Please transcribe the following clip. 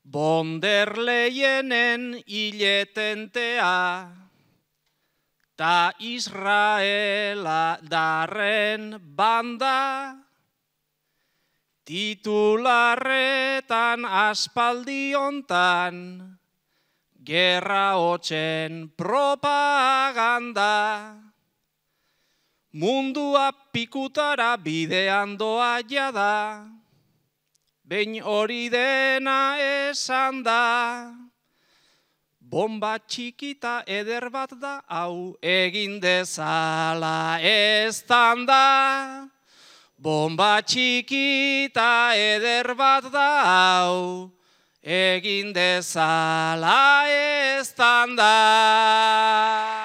Bonderleyenen hiletentea, ta Israela darren banda, titularretan aspaldiontan, gerra hotzen propaganda. Mundua pikutara bidean doa jada, behin hori dena esan da. Bomba txikita eder bat da, hau egin dezala eztan da. Bomba txikita eder bat da, hau egin dezala eztan da.